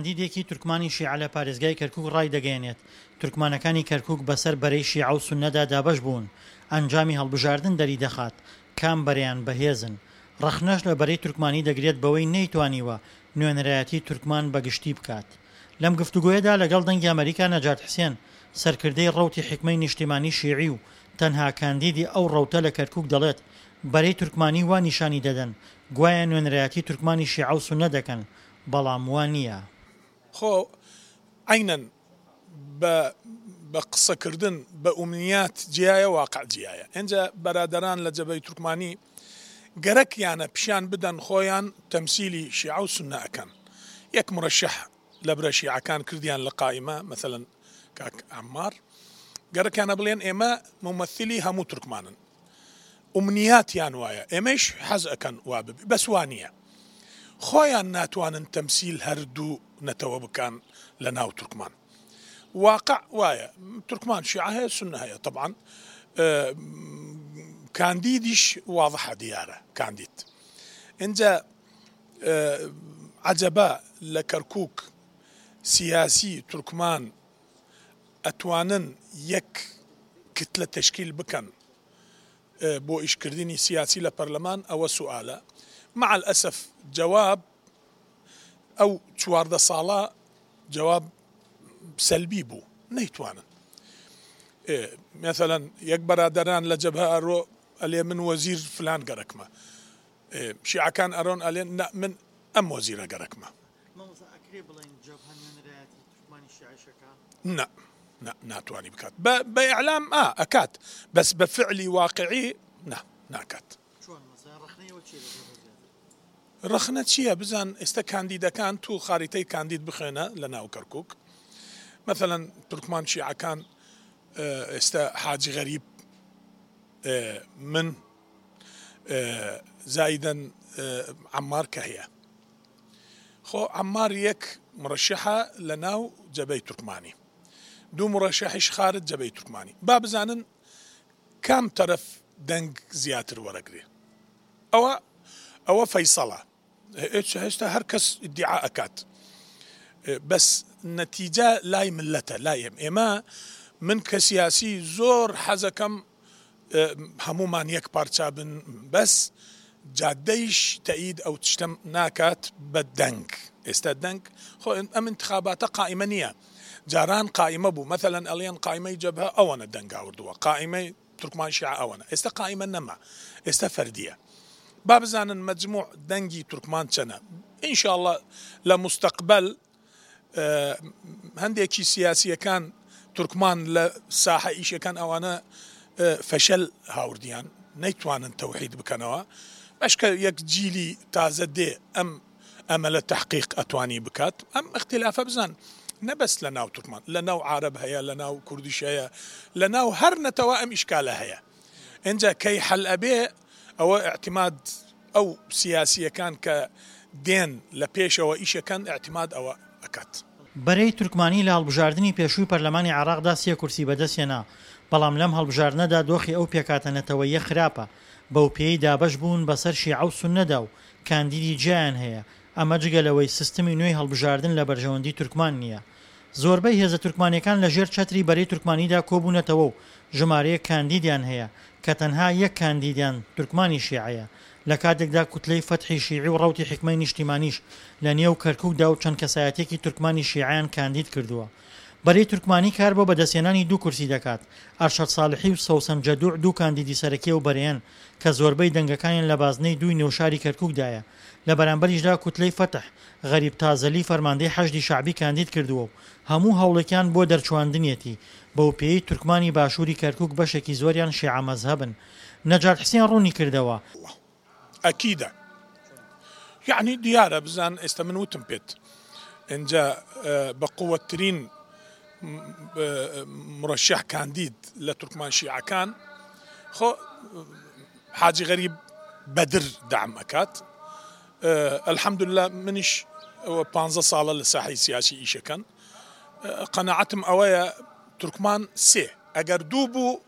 کاندیدێکی تورکمانی شیعە لە پارێزگای کەرکوک ڕایدەگەیەنێت، تورکمانەکانی کەرکوک بەسەر بەرەی شیعە و سوننەدا دابەش بوون، ئەنجامی هەڵبژاردن دەریدەخات کام بەرەیان بەهێزن. ڕەخنەش لە بەرەی تورکمانی دەگرێت بەوەی نەیتوانیوە نوێنەرایەتی تورکمان بە گشتی بکات. لەم گفتوگۆیەدا لەگەڵ دەنگی ئەمەریکا نەجات حسێن، سەرکردەی ڕەوتی حیکمەی نیشتیمانی شیعی و تەنها کاندیدی ئەو ڕەوتە لە کەرکوک دەڵێت بەرەی تورکمانی وا نیشانی دەدەن گوایە نوێنەرایەتی تورکمانی شیعە و سوننە دەکەن، بەڵام وا نییە. خۆ عەینەن بە بە قسە کردن بە ئومنیات جیایە واقع جیایە ئینجا بەرادەران لە جەبەی تورکمانی گەرەکیانە پیشان بدەن خۆیان تەمسیلی شیعە و سوننە ئەکەن یەک مرەشەح لە برە شیعەکان کردیان لە قائیمە مەسەلەن کاک عەمار گەرەکیانە بڵێن ئێمە مومەسیلی هەموو تورکمانن ئومنیاتیان وایە ئێمەیش حەز ئەکەن وا ببی بەس وا نییە خۆیان ناتوانن تەمسیل هەردوو نەتەوە بکەن لە ناو تورکمان واقع وایە تورکمان شیعە هەیە سوننە هەیە تەبعەن کاندیدیش واضحە دیارە کاندید ئینجا عەجەبە لە کەرکوک سیاسی تورکمان ئەتوانن یەک کتلە تەشکیل بکەن بۆ ئیشکردنی سیاسی لە پەرلەمان ئەوە سوئالە مع الاسف جواب ئەو 14 ساڵە جواب سەلبی بوو نەیتوانن مثلا یەک بەرادەران لە جەبهە ئەرۆ ئەلێ من وەزیر فلان گەرەکمە شیعەکان ئەرۆن ئەلێن نا من ئەم وەزیرە گەرەکمە. مامۆستا ئەکرێ بڵێین جەبهە نوێنەرایەتی تورکمانی شیعەیش ئەکا؟ نا نا ناتوانی بکات بە بە ئیعلام ئا ئەکات بەس بە فعلی واقعی نا ناکات. چۆن مەسەلەن ڕەخنەی ئەوە چیە لە جەبهە زیاتر؟ ڕەخنە چیە بزان ئێستا کاندیدەکان تو خاریتەی کاندید بخوێنە لە ناو کەرکوک مەسەلەن تورکمان شیعەکان ئێستا حاجی غەریب من زایدەن عەمار کە هەیە خۆ عەمار یەک مرەشەحە لە ناو جەبەی تورکمانی دوو مرەشەحیش خارج جەبەی تورکمانی با بزانن کام تەرەف دەنگ زیاتر وەرەگرێ ئەوە ئەوە فەیسەڵە هێشتا هەر کەس ئیدعا ئەکات بەس نەتیجە لای ملەتە لای ئێم ئێمە من کە سیاسی زۆر حەزەکەم هەمومان یەک پارچە بن بەس جادەیش تەئید ئەو تشتەم ناکات بە دەنگ ئێستا دەنگ خۆ ئەم انتخاباتە قائیمە نییە جاران قائیمە بوو مەثلەن ئەڵێن قائیمەی جەبهە ئەوەنە دەنگ هاوردووە قائیمەی تورکمان شیعە ئەوەنە ئێستا قائیمە نەما ئێستا فەردیە با بزانن مەجموع دەنگی تورکمان چەنە ان شاء اللە لە مستقبل هەندێکی سیاسیەکان تورکمان لە ساحە ئیشەکان ئەوانە فەشەل هاوردیان نەیتوانن تەوحید بکەنەوە بەشکە یەک جیلی تازە دێ ئەم ئەمەلە تەحقیق ئەتوانی بکات ئەم ئیختیلافە بزان نە بەس لە ناو تورکمان لە ناو عارەب هەیە لە ناو کوردیش هەیە لە ناو هەر نەتەوە ئەم ئیشکالە هەیە ئینجا کەی حەل ئەبێ ئەوە ئیعتیماد ئەو سیاسیەکان کە دێن لە پێشەوە ئیشەکەن ئیعتیماد ئەوە ئەکات. بەرەی تورکمانی لە هەڵبژاردنی پێشووی پەرلەمانی عێراقدا سێ کورسی بەدەستهێنا، بەڵام لەم هەڵبژاردنەدا دۆخی ئەو پێکهاتە نەتەوەییە خراپە، بەوپێیەی دابەش بوون بەسەر شیعە و سوننەدا و کاندیدی جیایان هەیە، ئەمە جگە لەوەی سیستمی نوێی هەڵبژاردن لە بەرژەوەندی تورکمان نییە. زۆربەی هێزە تورکمانییەکان لە ژێر چەتری بەرەی تورکمانیدا کۆبوونەتەوە و ژمارەیەک کاندیدیان هەیە کە تەنها یەک کاندیدیان تورکمانی شیعەیە، لە کاتێکدا کوتلەی فەتحی شیعی و ڕەوتی حیکمەی نیشتیمانیش لە نێو کەرکوکدا و چەند کەسایەتیەکی تورکمانی شیعەیان کاندید کردووە. بەرەی تورکمانی کار بۆ بەدەستهێنانی دوو کورسی دەکات، ئەرشەد ساڵحی و سەوسەن جەدوع دوو کاندیدی سەرەکی ئەو بەرەیەن کە زۆربەی دەنگەکانیان لە بازنەی دووی نێوشاری کەرکوکدایە، لە بەرامبەریشدا کوتلەی فەتح، غەریب تازەلی فەرماندەی حەشدی شەعبی کاندید کردووە و هەموو هەوڵێکیان بۆ دەرچواندنیەتی، بەوپێیەی تورکمانی باشووری کەرکوک بەشێکی زۆریان شیعە مەزهەبن. نەجات حسێن ڕوونی کردەوە. ئەکیدە یەعنی دیارە بزان ئێستا من وتم پێت ئینجا بە قوەتترین مرەشح کاندید لە تورکمان شیعەکان خۆ حاجی غەریب بەدر دەعم ئەکات الحمدلله منیش پ ساڵە لە ساحی سیاسی ئیشەکەن قەناعەتم ئەوەیە تورکمان سێ ئەگەر دوو بوو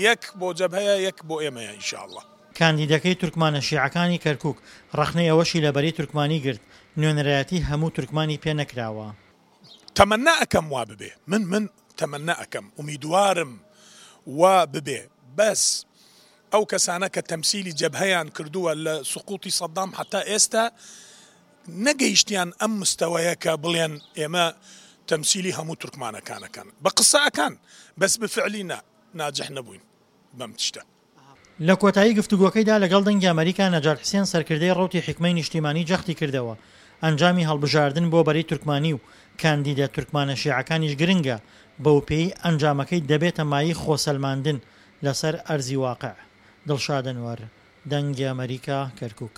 یەک بۆ جەبهەیە یەک بۆ ئێمەیە ان شاء اللە. کاندیدەکەی تورکمانە شیعەکانی کەرکوک ڕەخنەی ئەوەشی لە بەرەی تورکمانی گرت نوێنەرایەتی هەموو تورکمانی پێ نەکراوە. تەمەنا ئەکەم وا ببێ من من تەمەنا ئەکەم ئومیدوارم وا ببێ بەس ئەو کەسانە کە تەمسیلی جەبهەیان کردووە لە سقوتی سەدام حتا ئێستا نەگەیشتیان ئەم مستەوەیە کە بڵێن ئێمە تەمسیلی هەموو تورکمانەکان ئەکەن بە قسە ئەکان بەس بفعلی نا ناجح نەبووین بەم تشتە. لە کۆتایی گفتوگۆکەیدا لەگەڵ دەنگی ئەمەریکا نەجات حسێن سەرکردەی ڕەوتی حیکمەی نیشتیمانی جەختی کردەوە ئەنجامی هەڵبژاردن بۆ بەرەی تورکمانی و کاندیدە تورکمانە شیعەکانیش گرنگە بەوپێی ئەنجامەکەی دەبێتە مایەی خۆسەلماندن لەسەر ئەرزی واقع. دڵشاد ئەنوەر، دەنگی ئەمەریکا، کەرکوک.